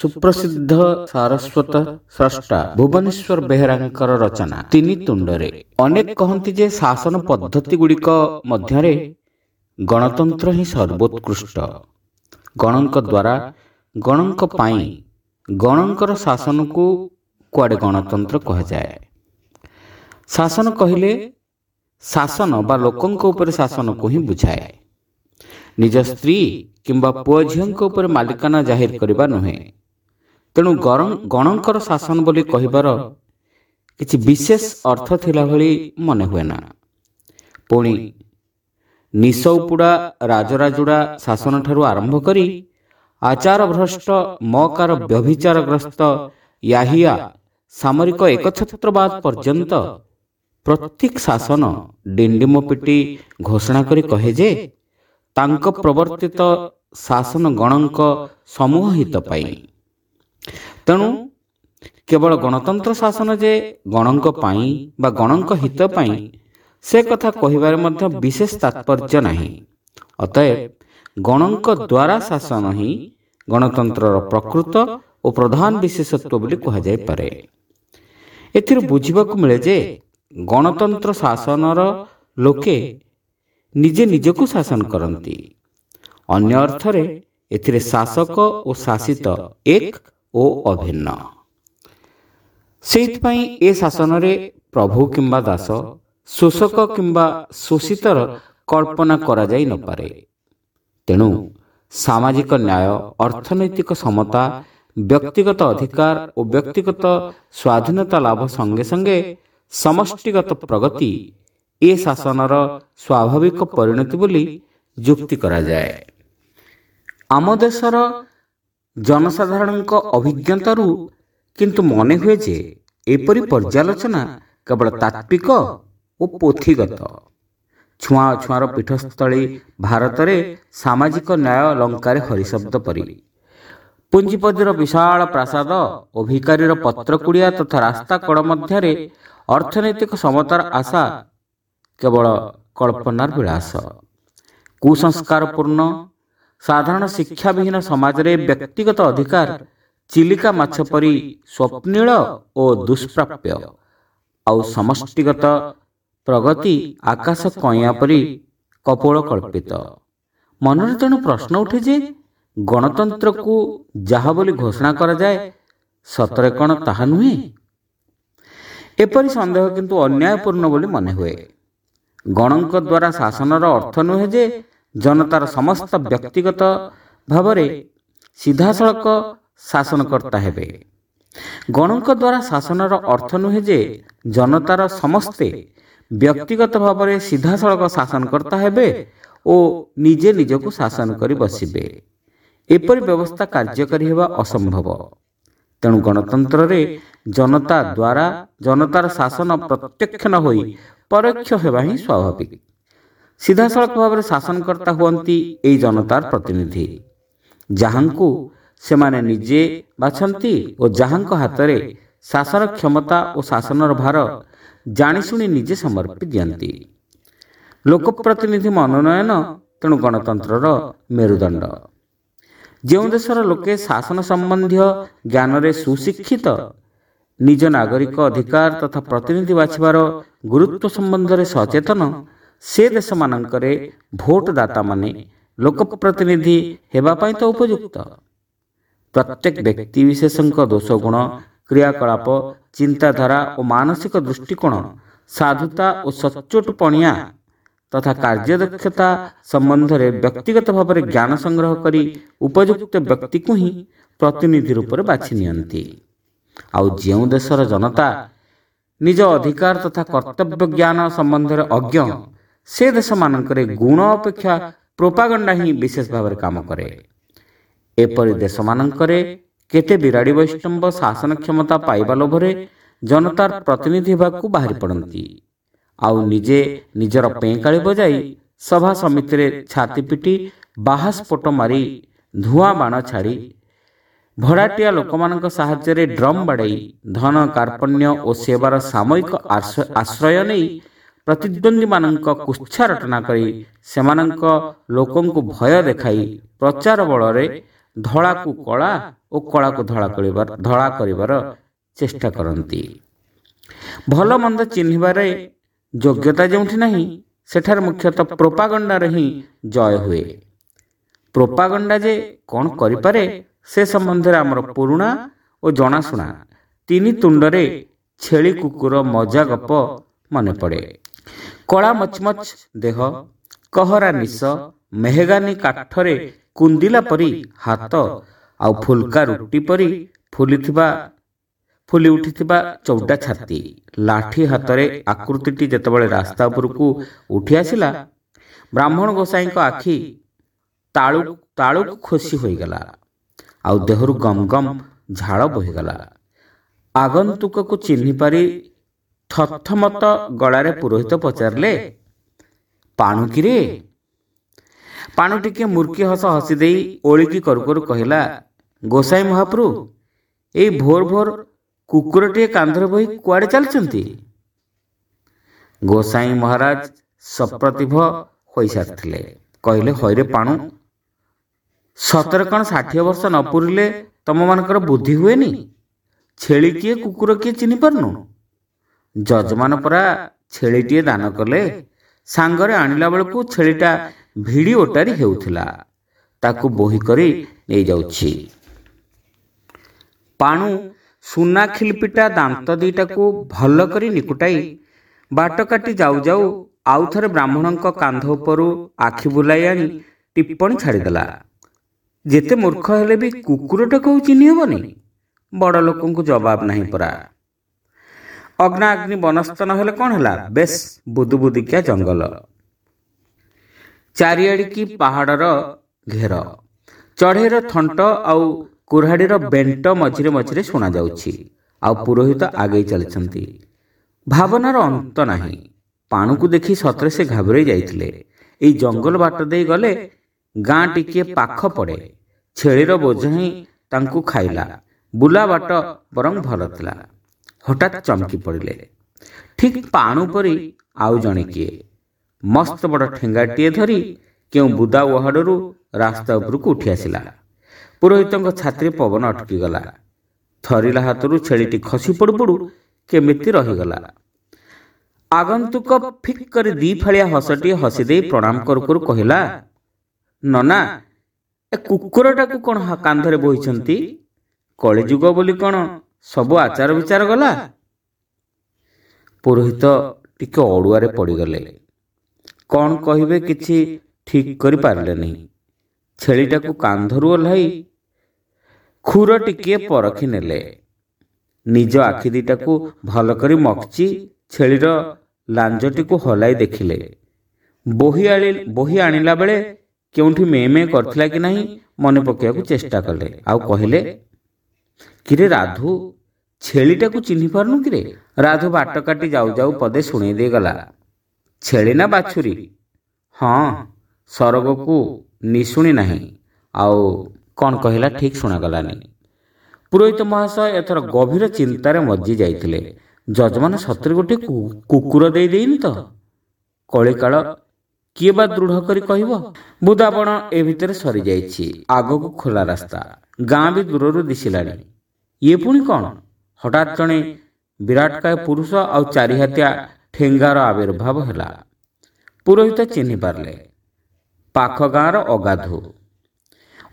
ସୁପ୍ରସିଦ୍ଧ ସାରସ୍ୱତ ସ୍ରଷ୍ଟା ଭୁବନେଶ୍ୱର ବେହେରାଙ୍କର ରଚନା ତିନି ତୁଣ୍ଡରେ। ଅନେକ କହନ୍ତି ଯେ ଶାସନ ପଦ୍ଧତିଗୁଡ଼ିକ ମଧ୍ୟରେ ଗଣତନ୍ତ୍ର ହିଁ ସର୍ବୋତ୍କୃଷ୍ଟ। ଗଣଙ୍କ ଦ୍ୱାରା, ଗଣଙ୍କ ପାଇଁ, ଗଣଙ୍କର ଶାସନକୁ କୁଆଡ଼େ ଗଣତନ୍ତ୍ର କୁହାଯାଏ। ଶାସନ କହିଲେ ଶାସନ ବା ଲୋକଙ୍କ ଉପରେ ଶାସନକୁ ହିଁ ବୁଝାଏ, ନିଜ ସ୍ତ୍ରୀ କିମ୍ବା ପୁଅ ଝିଅଙ୍କ ଉପରେ ମାଲିକାନା ଜାହିର କରିବା ନୁହେଁ। ତେଣୁ ଗଣଙ୍କର ଶାସନ ବୋଲି କହିବାର କିଛି ବିଶେଷ ଅର୍ଥ ଥିଲା ଭଳି ମନେ ହୁଏ ନା। ପୁଣି ନିଶଉପୁଡ଼ା ରାଜରାଜୁଡ଼ା ଶାସନଠାରୁ ଆରମ୍ଭ କରି ଆଚାରଭ୍ରଷ୍ଟ ମକାର ବ୍ୟଭିଚାରଗ୍ରସ୍ତ ୟାହିଆ ସାମରିକ ଏକଛତ୍ରବାଦ ପର୍ଯ୍ୟନ୍ତ ପ୍ରତ୍ୟେକ ଶାସନ ଡିଣ୍ଡିମ ପିଟି ଘୋଷଣା କରି କହେ ଯେ ତାଙ୍କ ପ୍ରବର୍ତ୍ତିତ ଶାସନ ଗଣଙ୍କ ସମୂହ ହିତ ପାଇଁ। ତେଣୁ କେବଳ ଗଣତନ୍ତ୍ର ଶାସନ ଯେ ଗଣଙ୍କ ପାଇଁ ବା ଗଣଙ୍କ ହିତ ପାଇଁ, ସେ କଥା କହିବାରେ ମଧ୍ୟ ବିଶେଷ ତାତ୍ପର୍ଯ୍ୟ ନାହିଁ। ଅତଏବ ଗଣଙ୍କ ଦ୍ୱାରା ଶାସନ ହିଁ ଗଣତନ୍ତ୍ରର ପ୍ରକୃତ ଓ ପ୍ରଧାନ ବିଶେଷତ୍ୱ ବୋଲି କୁହାଯାଇପାରେ। ଏଥିରୁ ବୁଝିବାକୁ ମିଳେ ଯେ ଗଣତନ୍ତ୍ର ଶାସନର ଲୋକେ ନିଜେ ନିଜକୁ ଶାସନ କରନ୍ତି। ଅନ୍ୟ ଅର୍ଥରେ ଏଥିରେ ଶାସକ ଓ ଶାସିତ ଏକ ଓ ଅଭିନ୍ନ। ସେଇଥିପାଇଁ ଏ ଶାସନରେ ପ୍ରଭୁ କିମ୍ବା ଦାସ, ଶୋଷକ କିମ୍ବା ଶୋଷିତର କଳ୍ପନା କରାଯାଇ ନପାରେ। ତେଣୁ ସାମାଜିକ ନ୍ୟାୟ, ଅର୍ଥନୈତିକ ସମତା, ବ୍ୟକ୍ତିଗତ ଅଧିକାର ଓ ବ୍ୟକ୍ତିଗତ ସ୍ୱାଧୀନତା ଲାଭ ସଙ୍ଗେ ସଙ୍ଗେ ସମଷ୍ଟିଗତ ପ୍ରଗତି ଏ ଶାସନର ସ୍ୱାଭାବିକ ପରିଣତି ବୋଲି ଯୁକ୍ତି କରାଯାଏ। ଆମ ଦେଶର ଜନସାଧାରଣଙ୍କ ଅଭିଜ୍ଞତାରୁ କିନ୍ତୁ ମନେ ହୁଏ ଯେ ଏପରି ପର୍ଯ୍ୟାଲୋଚନା କେବଳ ତାତ୍ତ୍ୱିକ ଓ ପୋଥିଗତ। ଛୁଆଁ ଅଛୁଆଁର ପୀଠସ୍ଥଳୀ ଭାରତରେ ସାମାଜିକ ନ୍ୟାୟ ଲଙ୍କାରେ ହରିଶବ୍ଦ ପରି। ପୁଞ୍ଜିପତିର ବିଶାଳ ପ୍ରାସାଦ ଓ ଭିକାରୀର ପତ୍ରକୁଡ଼ିଆ ତଥା ରାସ୍ତା କଡ଼ ମଧ୍ୟରେ ଅର୍ଥନୈତିକ ସମତାର ଆଶା କେବଳ କଳ୍ପନାର ବିଳାସ। କୁସଂସ୍କାରପୂର୍ଣ୍ଣ ସାଧାରଣ ଶିକ୍ଷାବିହୀନ ସମାଜରେ ବ୍ୟକ୍ତିଗତ ଅଧିକାର ଚିଲିକା ମାଛ ପରି ସ୍ୱପ୍ନିଳ ଓ ଦୁଷ୍ପ୍ରାପ୍ୟ, ଆଉ ସମଷ୍ଟିଗତ ପ୍ରଗତି ଆକାଶ କଇଁଆ ପରି କପୋଳ କଳ୍ପିତ। ମନରେ ତେଣୁ ପ୍ରଶ୍ନ ଉଠେ ଯେ ଗଣତନ୍ତ୍ରକୁ ଯାହା ବୋଲି ଘୋଷଣା କରାଯାଏ, ସତରେ କ'ଣ ତାହା ନୁହେଁ? ଏପରି ସନ୍ଦେହ କିନ୍ତୁ ଅନ୍ୟାୟପୂର୍ଣ୍ଣ ବୋଲି ମନେ ହୁଏ। ଗଣଙ୍କ ଦ୍ୱାରା ଶାସନର ଅର୍ଥ ନୁହେଁ ଯେ ଜନତାର ସମସ୍ତ ବ୍ୟକ୍ତିଗତ ଭାବରେ ସିଧାସଳଖ ଶାସନକର୍ତ୍ତା ହେବେ। ଗଣଙ୍କ ଦ୍ୱାରା ଶାସନର ଅର୍ଥ ନୁହେଁ ଯେ ଜନତାର ସମସ୍ତେ ବ୍ୟକ୍ତିଗତ ଭାବରେ ସିଧାସଳଖ ଶାସନକର୍ତ୍ତା ହେବେ ଓ ନିଜେ ନିଜକୁ ଶାସନ କରି ବସିବେ। ଏପରି ବ୍ୟବସ୍ଥା କାର୍ଯ୍ୟକାରୀ ହେବା ଅସମ୍ଭବ। ତେଣୁ ଗଣତନ୍ତ୍ରରେ ଜନତା ଦ୍ୱାରା ଜନତାର ଶାସନ ପ୍ରତ୍ୟକ୍ଷ ନ ହୋଇ ପରୋକ୍ଷ ହେବା ହିଁ ସ୍ୱାଭାବିକ। ସିଧାସଳଖ ଭାବରେ ଶାସନକର୍ତ୍ତା ହୁଅନ୍ତି ଏଇ ଜନତାର ପ୍ରତିନିଧି, ଯାହାଙ୍କୁ ସେମାନେ ନିଜେ ବାଛନ୍ତି ଓ ଯାହାଙ୍କ ହାତରେ ଶାସନ କ୍ଷମତା ଓ ଶାସନର ଭାର ଜାଣିଶୁଣି ନିଜେ ସମର୍ପି ଦିଅନ୍ତି। ଲୋକପ୍ରତିନିଧି ମନୋନୟନ ତେଣୁ ଗଣତନ୍ତ୍ରର ମେରୁଦଣ୍ଡ। ଯେଉଁ ଦେଶର ଲୋକେ ଶାସନ ସମ୍ବନ୍ଧୀୟ ଜ୍ଞାନରେ ସୁଶିକ୍ଷିତ, ନିଜ ନାଗରିକ ଅଧିକାର ତଥା ପ୍ରତିନିଧି ବାଛିବାର ଗୁରୁତ୍ୱ ସମ୍ବନ୍ଧରେ ସଚେତନ, ସେ ଦେଶମାନଙ୍କରେ ଭୋଟଦାତାମାନେ ଲୋକପ୍ରତିନିଧି ହେବା ପାଇଁ ତ ଉପଯୁକ୍ତ। ପ୍ରତ୍ୟେକ ବ୍ୟକ୍ତିବିଶେଷଙ୍କ ଦୋଷଗୁଣ, କ୍ରିୟାକଳାପ, ଚିନ୍ତାଧାରା ଓ ମାନସିକ ଦୃଷ୍ଟିକୋଣ, ସାଧୁତା ଓ ସଚ୍ଚୋଟପଣିଆ ତଥା କାର୍ଯ୍ୟଦକ୍ଷତା ସମ୍ବନ୍ଧରେ ବ୍ୟକ୍ତିଗତ ଭାବରେ ଜ୍ଞାନ ସଂଗ୍ରହ କରି ଉପଯୁକ୍ତ ବ୍ୟକ୍ତିକୁ ହିଁ ପ୍ରତିନିଧି ରୂପରେ ବାଛି ନିଅନ୍ତି। ଆଉ ଯେଉଁ ଦେଶର ଜନତା ନିଜ ଅଧିକାର ତଥା କର୍ତ୍ତବ୍ୟ ଜ୍ଞାନ ସମ୍ବନ୍ଧରେ ଅଜ୍ଞ, ସେ ଦେଶମାନଙ୍କରେ ଗୁଣ ଅପେକ୍ଷା ପ୍ରୋପାଗଣ୍ଡା ହିଁ ବିଶେଷ ଭାବରେ କାମ କରେ। ଏପରି ଦେଶମାନଙ୍କରେ କେତେ ବିରାଡ଼ି ବୈଷ୍ଣବ ଶାସନ କ୍ଷମତା ପାଇବା ଲୋଭରେ ଜନତାର ପ୍ରତିନିଧି ହେବାକୁ ବାହାରି ପଡ଼ନ୍ତି, ଆଉ ନିଜେ ନିଜର ପେଁକାଳି ବଜାଇ ସଭା ସମିତିରେ ଛାତି ପିଟି ବାହାସ୍ଫୋଟ ମାରି ଧୂଆଁ ବାଣ ଛାଡ଼ି ଭଡ଼ାଟିଆ ଲୋକମାନଙ୍କ ସାହାଯ୍ୟରେ ଡ୍ରମ୍ ବାଡ଼େଇ ଧନ କାର୍ପଣ୍ୟ ଓ ସେବାର ସାମୟିକ ଆଶ୍ରୟ ନେଇ ପ୍ରତିଦ୍ୱନ୍ଦ୍ୱୀମାନଙ୍କ କୁତ୍ସା ରଟନା କରି ସେମାନଙ୍କ ଲୋକଙ୍କୁ ଭୟ ଦେଖାଇ ପ୍ରଚାର ବଳରେ ଧଳାକୁ କଳା ଓ କଳାକୁ ଧଳା କରିବାର ଚେଷ୍ଟା କରନ୍ତି। ଭଲ ମନ୍ଦ ଚିହ୍ନିବାରେ ଯୋଗ୍ୟତା ଯେଉଁଠି ନାହିଁ, ସେଠାରେ ମୁଖ୍ୟତଃ ପ୍ରୋପାଗଣ୍ଡାରେ ହିଁ ଜୟ ହୁଏ। ପ୍ରୋପାଗଣ୍ଡା ଯେ କ'ଣ କରିପାରେ ସେ ସମ୍ବନ୍ଧରେ ଆମର ପୁରୁଣା ଓ ଜଣାଶୁଣା ତିନି ତୁଣ୍ଡରେ ଛେଳି କୁକୁର ମଜା ଗପ ମନେ ପଡ଼େ। କଳା ମଚମଚ ଦେହ, କହରା ନିଶ, ମେହେଗାନି କାଠରେ କୁନ୍ଦିଲା ପରି ହାତ ଆଉ ଫୁଲକା ରୁଟି ପରି ଫୁଲି ଉଠିଥିବା ଚଉଡ଼ା ଛାତି, ଲାଠି ହାତରେ ଆକୃତିଟି ଯେତେବେଳେ ରାସ୍ତା ଉପରକୁ ଉଠି ଆସିଲା, ବ୍ରାହ୍ମଣ ଗୋସାଇଙ୍କ ଆଖି ତାଳୁକୁ ଖୋସି ହୋଇଗଲା ଆଉ ଦେହରୁ ଗମ ଗମ ଝାଳ ବୋହିଗଲା। ଆଗନ୍ତୁକକୁ ଚିହ୍ନିପାରି ଥଥମତ ଗଳାରେ ପୁରୋହିତ ପଚାରିଲେ, ପାଣୁ କିରେ? ପାଣୁ ଟିକିଏ ମୁର୍କି ହସ ହସିଦେଇ ଓଳିକି କରୁ କରୁ କହିଲା, ଗୋସାଇ ମହାପ୍ରଭୁ, ଏଇ ଭୋର ଭୋର କୁକୁରଟିଏ କାନ୍ଧରେ ବୋହି କୁଆଡ଼େ ଚାଲିଛନ୍ତି? ଗୋସାଇ ମହାରାଜ ସପ୍ରତିଭ ହୋଇସାରିଥିଲେ। କହିଲେ, ହଇରେ ପାଣୁ, ସତରେ କ'ଣ 60 ବର୍ଷ ନ ପୂରିଲେ ତମମାନଙ୍କର ବୁଦ୍ଧି ହୁଏନି? ଛେଳି କିଏ କୁକୁର କିଏ ଚିହ୍ନି ପାରୁନୁ? ଯଜମାନ ପରା ଛେଳିଟିଏ ଦାନ କଲେ, ସାଙ୍ଗରେ ଆଣିଲା ବେଳକୁ ଛେଳିଟା ଭିଡ଼ି ଓଟାରି ହେଉଥିଲା, ତାକୁ ବୋହି କରି ନେଇଯାଉଛି। ପାଣୁ ସୁନା ଖିଲପିଟା ଦାନ୍ତ ଦିଟାକୁ ଭଲ କରି ନିକୁଟାଇ ବାଟ କାଟି ଯାଉ ଯାଉ ଆଉ ଥରେ ବ୍ରାହ୍ମଣଙ୍କ କାନ୍ଧ ଉପରୁ ଆଖି ବୁଲାଇ ଆଣି ଟିପ୍ପଣୀ ଛାଡ଼ିଦେଲା, ଯେତେ ମୂର୍ଖ ହେଲେ ବି କୁକୁରଟାକୁ ଚିହ୍ନି ହେବନି? ବଡ଼ ଲୋକଙ୍କୁ ଜବାବ ନାହିଁ ପରା। ଅଗ୍ନାଗ୍ନି ବନସ୍ତ ନହେଲେ କ'ଣ ହେଲା, ବେଶ ବୁଦୁବୁଦିକିଆ ଜଙ୍ଗଲ, ଚାରିଆଡ଼ିକି ପାହାଡ଼ର ଘେର, ଚଢ଼େଇର ଥଣ୍ଟ ଆଉ କୁରାଢ଼ୀର ବେଣ୍ଟ ମଝିରେ ମଝିରେ ଶୁଣାଯାଉଛି। ଆଉ ପୁରୋହିତ ଆଗେଇ ଚାଲିଛନ୍ତି। ଭାବନାର ଅନ୍ତ ନାହିଁ। ପାଣୁକୁ ଦେଖି ସତରେ ସେ ଘାବରେଇ ଯାଇଥିଲେ। ଏଇ ଜଙ୍ଗଲ ବାଟ ଦେଇ ଗଲେ ଗାଁ ଟିକିଏ ପାଖ ପଡ଼େ। ଛେଳିର ବୋଝ ହିଁ ତାଙ୍କୁ ଖାଇଲା। ବୁଲା ବାଟ ବରଂ ଭଲ ଥିଲା। ହଠାତ୍ ଚମକି ପଡ଼ିଲେ। ଠିକ୍ ପାଣୁ ପରି ଆଉ ଜଣେ କିଏ ମସ୍ତ ବଡ଼ ଠେଙ୍ଗାଟିଏ ଧରି କେଉଁ ବୁଦା ଉହାଡ଼ରୁ ରାସ୍ତା ଉପରକୁ ଉଠି ଆସିଲା। ପୁରୋହିତଙ୍କ ଛାତିରେ ପବନ ଅଟକିଗଲା। ଥରିଲା ହାତରୁ ଛେଳିଟି ଖସି ପଡ଼ୁ ପଡ଼ୁ କେମିତି ରହିଗଲା। ଆଗନ୍ତୁକ ଫିକ୍ କରି ଦି ଫାଳିଆ ହସଟିଏ ହସିଦେଇ ପ୍ରଣାମ କରୁ କରୁ କହିଲା, ନନା, ଏ କୁକୁରଟାକୁ କ'ଣ କାନ୍ଧରେ ବୋହିଛନ୍ତି? କଳିଯୁଗ ବୋଲି କ'ଣ ସବୁ ଆଚାର ବିଚାର ଗଲା? ପୁରୋହିତ ଟିକେ ଅଡ଼ୁଆରେ ପଡ଼ିଗଲେ। କ'ଣ କହିବେ କିଛି ଠିକ୍ କରିପାରିଲେନି। ଛେଳିଟାକୁ କାନ୍ଧରୁ ଓହ୍ଲାଇ ଖୁର ଟିକିଏ ପରଖି ନେଲେ। ନିଜ ଆଖି ଦିଟାକୁ ଭଲ କରି ମକଚି ଛେଳିର ଲାଞ୍ଜଟିକୁ ହଲାଇ ଦେଖିଲେ। ବୋହି ଆଣିଲା ବେଳେ କେଉଁଠି ମେ ମେ କରିଥିଲା କି ନାହିଁ ମନେ ପକାଇବାକୁ ଚେଷ୍ଟା କଲେ। ଆଉ କହିଲେ, କିରେ ରାଧୁ, ଛେଳିଟାକୁ ଚିହ୍ନି ପାରୁନୁ କିରେ? ରାଧୁ ବାଟ କାଟି ଯାଉ ଯାଉ ପଦେ ଶୁଣେଇ ଦେଇଗଲା, ଛେଳି ନା ବାଛୁରୀ? ହଁ, ସରଗକୁ ନିଶୁଣି ନାହିଁ। ଆଉ କ'ଣ କହିଲା ଠିକ୍ ଶୁଣାଗଲାନି। ପୁରୋହିତ ମହାଶୟ ଏଥର ଗଭୀର ଚିନ୍ତାରେ ମଜ୍ଜି ଯାଇଥିଲେ। ଯଜମାନ ସତରେ ଗୋଟିଏ କୁକୁର ଦେଇ ଦେଇନି ତ? କଳିକାଳ କିଏ ବା ଦୃଢ଼ କରି କହିବ? ବୁଦାବଣ ଏ ଭିତରେ ସରିଯାଇଛି। ଆଗକୁ ଖୋଲା ରାସ୍ତା, ଗାଁ ବି ଦୂରରୁ ଦିଶିଲାଣି। ଇଏ ପୁଣି କ'ଣ? ହଠାତ୍ ଜଣେ ବିରାଟକାୟ ପୁରୁଷ ଆଉ ଚାରିହାତିଆ ଠେଙ୍ଗାର ଆବିର୍ଭାବ ହେଲା। ପୁରୋହିତ ଚିହ୍ନି ପାରିଲେ, ପାଖ ଗାଁର ଅଗାଧୁ।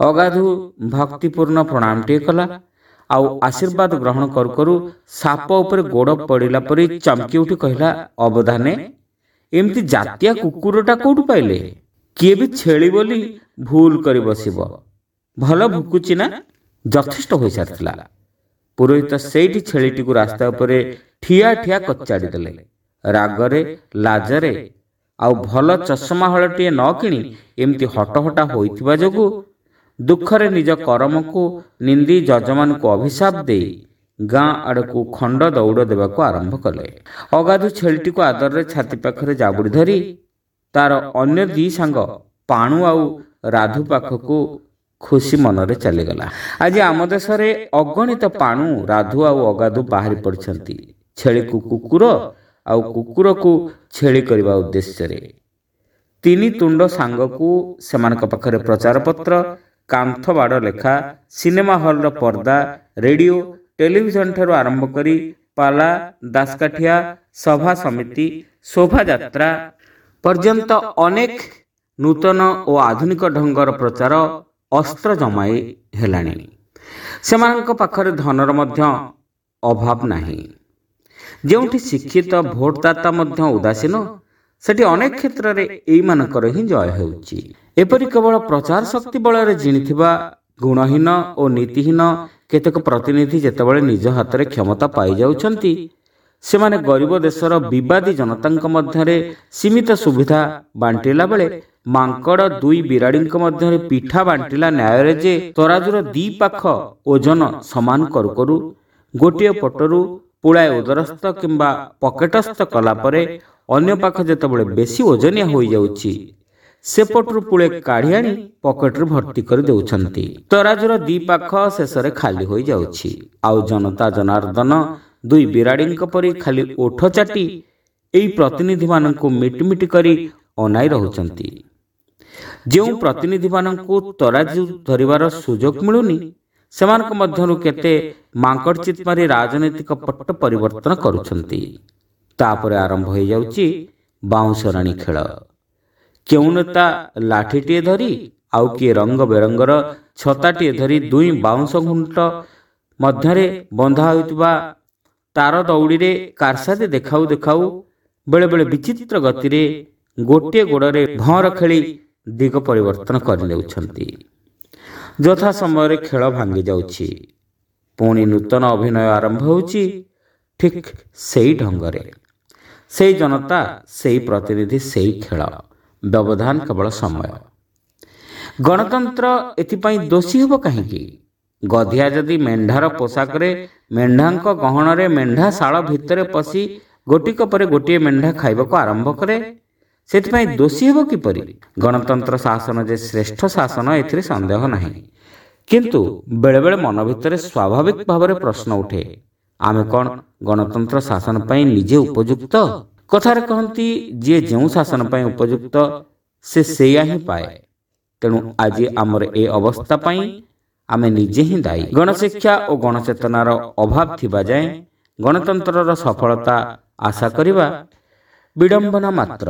ଅଗାଧୁ ଭକ୍ତିପୂର୍ଣ୍ଣ ପ୍ରଣାମଟିଏ କଲା ଆଉ ଆଶୀର୍ବାଦ ଗ୍ରହଣ କରୁ କରୁ ସାପ ଉପରେ ଗୋଡ଼ ପଡ଼ିଲା ପରି ଚମକି ଉଠି କହିଲା, ଅବଧାନେ, ଏମିତି ଜାତିଆ କୁକୁରଟା କୋଉଠୁ ପାଇଲେ? କିଏ ବି ଛେଳି ବୋଲି ଭୁଲ କରି ବସିବ। ଭଲ ଭୁକୁଛି ନା? ଯଥେଷ୍ଟ ହୋଇସାରିଥିଲା। ପୁରୋହିତ ସେଇଠି ଛେଳିଟିକୁ ରାସ୍ତା ଉପରେ ଠିଆ ଠିଆ କଚାଡ଼ି ଦେଲେ। ରାଗରେ, ଲାଜରେ ଆଉ ଭଲ ଚଷମା ହଳଟିଏ ନ କିଣି ଏମିତି ହଟହଟା ହୋଇଥିବା ଯୋଗୁଁ ଦୁଃଖରେ ନିଜ କରମକୁ ନିନ୍ଦି ଯଜମାନଙ୍କୁ ଅଭିଶାପ ଦେଇ ଗାଁ ଆଡ଼କୁ ଖଣ୍ଡ ଦୌଡ଼ ଦେବାକୁ ଆରମ୍ଭ କଲେ। ଅଗାଧୁ ଛେଳିଟିକୁ ଆଦରରେ ଛାତି ପାଖରେ ଜାବୁଡ଼ି ଧରି ତାର ଅନ୍ୟ ଦି ସାଙ୍ଗ ପାଣୁ ଆଉ ରାଧୁ ପାଖକୁ ଖୁସି ମନରେ ଚାଲିଗଲା। ଆଜି ଆମ ଦେଶରେ ଅଗଣିତ ପାଣୁ, ରାଧୁ ଆଉ ଅଗାଧୁ ବାହାରି ପଡ଼ିଛନ୍ତି ଛେଳିକୁ କୁକୁର ଆଉ କୁକୁରକୁ ଛେଳି କରିବା ଉଦ୍ଦେଶ୍ୟରେ। ତିନି ତୁଣ୍ଡ ସାଙ୍ଗକୁ ସେମାନଙ୍କ ପାଖରେ ପ୍ରଚାରପତ୍ର, କାନ୍ଥ ବାଡ଼ ଲେଖା, ସିନେମା ହଲ୍ର ପର୍ଦ୍ଦା, ରେଡ଼ିଓ, ଟେଲିଭିଜନ ଠାରୁ ଆରମ୍ଭ କରି ପାଲା, ଦାସକାଠିଆ, ସଭା ସମିତି, ଶୋଭାଯାତ୍ରା ପର୍ଯ୍ୟନ୍ତ ଅନେକ ନୂତନ ଓ ଆଧୁନିକ ଢଙ୍ଗର ପ୍ରଚାର ଅସ୍ତ୍ର ଜମାଇ ହେଲାଣି। ସେମାନଙ୍କ ପାଖରେ ଧନର ମଧ୍ୟ ଅଭାବ ନାହିଁ। ଯେଉଁଠି ଶିକ୍ଷିତ ଭୋଟଦାତା ମଧ୍ୟ ଉଦାସୀନ, ସେଠି ଅନେକ କ୍ଷେତ୍ରରେ ଏଇମାନଙ୍କର ହିଁ ଜୟ ହେଉଛି। ଏପରି କେବଳ ପ୍ରଚାର ଶକ୍ତି ବଳରେ ଜିଣିଥିବା ଗୁଣହୀନ ଓ ନୀତିହୀନ କେତେକ ପ୍ରତିନିଧି ଯେତେବେଳେ ନିଜ ହାତରେ କ୍ଷମତା ପାଇଯାଉଛନ୍ତି, ସେମାନେ ଗରିବ ଦେଶର ବିବାଦୀ ଜନତାଙ୍କ ମଧ୍ୟରେ ସୀମିତ ସୁବିଧା ବାଣ୍ଟିଲା ବେଳେ ମାଙ୍କଡ଼ ଦୁଇ ବିରାଡ଼ିଙ୍କ ମଧ୍ୟରେ ପିଠା ବାଣ୍ଟିଲା ନ୍ୟାୟରେ ଯେ ତରାଜୁର ଦି ପାଖ ଓଜନ ସମାନ କରୁ କରୁ ଗୋଟିଏ ପଟରୁ ପୁଳାଏ ଉଦରସ୍ଥ କିମ୍ବା ପକେଟସ୍ଥ କଲା ପରେ ଅନ୍ୟ ପାଖ ଯେତେବେଳେ ବେଶୀ ଓଜନିଆ ହୋଇଯାଉଛି, ସେପଟରୁ ପୁଳେ କାଢ଼ି ଆଣି ପକେଟରୁ ଭର୍ତ୍ତି କରି ଦେଉଛନ୍ତି। ତରାଜୁର ଦି ପାଖ ଶେଷରେ ଖାଲି ହୋଇଯାଉଛି। ଆଉ ଜନତା ଜନାର୍ଦ୍ଦନ ଦୁଇ ବିରାଡ଼ିଙ୍କ ପରି ଖାଲି ଓଠ ଚାଟି ଏଇ ପ୍ରତିନିଧିମାନଙ୍କୁ ମିଟିମିଟି କରି ଅନାଇ ରହୁଛନ୍ତି। ଯେଉଁ ପ୍ରତିନିଧିମାନଙ୍କୁ ତରାଜୁ ଧରିବାର ସୁଯୋଗ ମିଳୁନି, ସେମାନଙ୍କ ମଧ୍ୟରୁ କେତେ ମାଙ୍କଡ଼ ଚିତ୍ ମାରି ରାଜନୈତିକ ପଟ୍ଟ ପରିବର୍ତ୍ତନ କରୁଛନ୍ତି। ତାପରେ ଆରମ୍ଭ ହୋଇଯାଉଛି ବାଉଁଶରାଣୀ ଖେଳ। କେଉଁ ନେତା ଲାଠିଟିଏ ଧରି ଆଉ କିଏ ରଙ୍ଗ ବେରଙ୍ଗର ଛତାଟିଏ ଧରି ଦୁଇ ବାଉଁଶ ଘୁଣ୍ଟ ମଧ୍ୟରେ ବନ୍ଧା ହୋଇଥିବା ତାର ଦଉଡ଼ିରେ କାରସାଦି ଦେଖାଉ ଦେଖାଉ ବେଳେବେଳେ ବିଚିତ୍ର ଗତିରେ ଗୋଟିଏ ଗୋଡ଼ରେ ଭଅଁର ଖେଳି ଦିଗ ପରିବର୍ତ୍ତନ କରିନେଉଛନ୍ତି। ଯଥା ସମୟରେ ଖେଳ ଭାଙ୍ଗି ଯାଉଛି। ପୁଣି ନୂତନ ଅଭିନୟ ଆରମ୍ଭ ହେଉଛି ଠିକ୍ ସେଇ ଢଙ୍ଗରେ। ସେଇ ଜନତା, ସେଇ ପ୍ରତିନିଧି, ସେଇ ଖେଳ। ବ୍ୟବଧାନ କେବଳ ସମୟ। ଗଣତନ୍ତ୍ର ଏଥିପାଇଁ ଦୋଷୀ ହେବ କାହିଁକି? ଗଧିଆ ଯଦି ମେଣ୍ଢାର ପୋଷାକରେ ମେଣ୍ଢାଙ୍କ ଗହଣରେ ମେଣ୍ଢା ଶାଳ ଭିତରେ ପଶି ଗୋଟିକ ପରେ ଗୋଟିଏ ମେଣ୍ଢା ଖାଇବାକୁ ଆରମ୍ଭ କରେ, ସେଥିପାଇଁ ଦୋଷୀ ହେବ କିପରି? ଗଣତନ୍ତ୍ର ଶାସନ ଯେ ଶ୍ରେଷ୍ଠ ଶାସନ, ଏଥିରେ ସନ୍ଦେହ ନାହିଁ। କିନ୍ତୁ ବେଳେବେଳେ ମନ ଭିତରେ ସ୍ୱାଭାବିକ ଭାବରେ ପ୍ରଶ୍ନ ଉଠେ, ଆମେ କ'ଣ ଗଣତନ୍ତ୍ର ଶାସନ ପାଇଁ ନିଜେ ଉପଯୁକ୍ତ? କଥାରେ କହନ୍ତି, ଯିଏ ଯେଉଁ ଶାସନ ପାଇଁ ଉପଯୁକ୍ତ ସେ ସେଇଆ ହିଁ ପାଏ। ତେଣୁ ଆଜି ଆମର ଏ ଅବସ୍ଥା ପାଇଁ ଆମେ ନିଜେ ହିଁ ଦାୟୀ। ଗଣଶିକ୍ଷା ଓ ଗଣଚେତନାର ଅଭାବ ଥିବା ଯାଏଁ ଗଣତନ୍ତ୍ରର ସଫଳତା ଆଶା କରିବା ବିଡ଼ମ୍ବନା ମାତ୍ର।